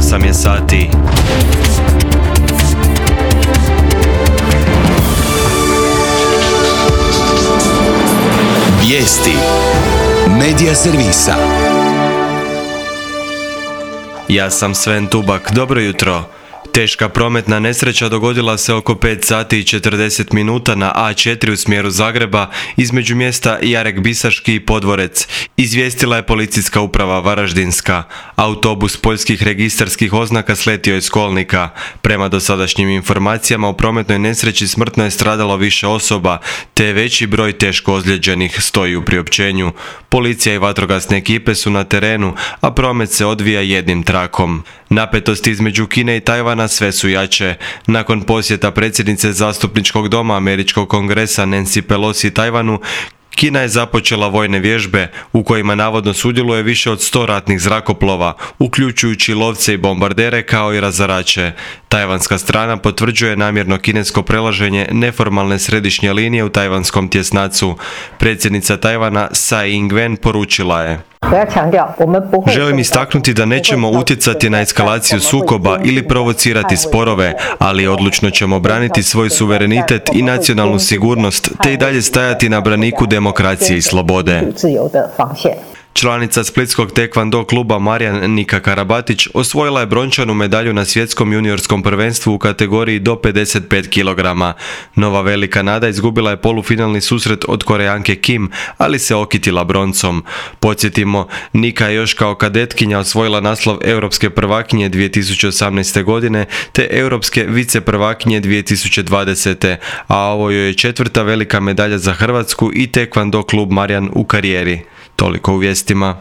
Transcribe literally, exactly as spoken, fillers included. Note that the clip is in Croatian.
osam je sati. Vijesti Medija servisa. Ja sam Sven Tubak, dobro jutro. Teška prometna nesreća dogodila se oko pet sati i četrdeset minuta na A četiri u smjeru Zagreba između mjesta Jarek Bisaški i Podvorec. Izvijestila je policijska uprava Varaždinska. Autobus poljskih registarskih oznaka sletio je s kolnika. Prema dosadašnjim informacijama u prometnoj nesreći smrtno je stradalo više osoba, te veći broj teško ozlijeđenih, stoji u priopćenju. Policija i vatrogasne ekipe su na terenu, a promet se odvija jednim trakom. Napetosti između Kine i Tajvana sve su jače. Nakon posjeta predsjednice zastupničkog doma Američkog kongresa Nancy Pelosi Tajvanu, Kina je započela vojne vježbe u kojima navodno sudjeluje više od sto ratnih zrakoplova, uključujući lovce i bombardere kao i razarače. Tajvanska strana potvrđuje namjerno kinesko prelaženje neformalne središnje linije u tajvanskom tjesnacu. Predsjednica Tajvana Tsai Ing-wen poručila je: Želim istaknuti da nećemo utjecati na eskalaciju sukoba ili provocirati sporove, ali odlučno ćemo braniti svoj suverenitet i nacionalnu sigurnost, te i dalje stajati na braniku demokracije i slobode. Članica splitskog tekvando kluba Marijan Nika Karabatić osvojila je brončanu medalju na svjetskom juniorskom prvenstvu u kategoriji do pedeset pet kilograma. Nova velika nada izgubila je polufinalni susret od Korejanke Kim, ali se okitila broncom. Podsjetimo, Nika je još kao kadetkinja osvojila naslov europske prvakinje dvije tisuće osamnaeste. godine te europske viceprvakinje dvije tisuće dvadesete. a ovo joj je četvrta velika medalja za Hrvatsku i tekvando klub Marijan u karijeri. Toliko u vijestima.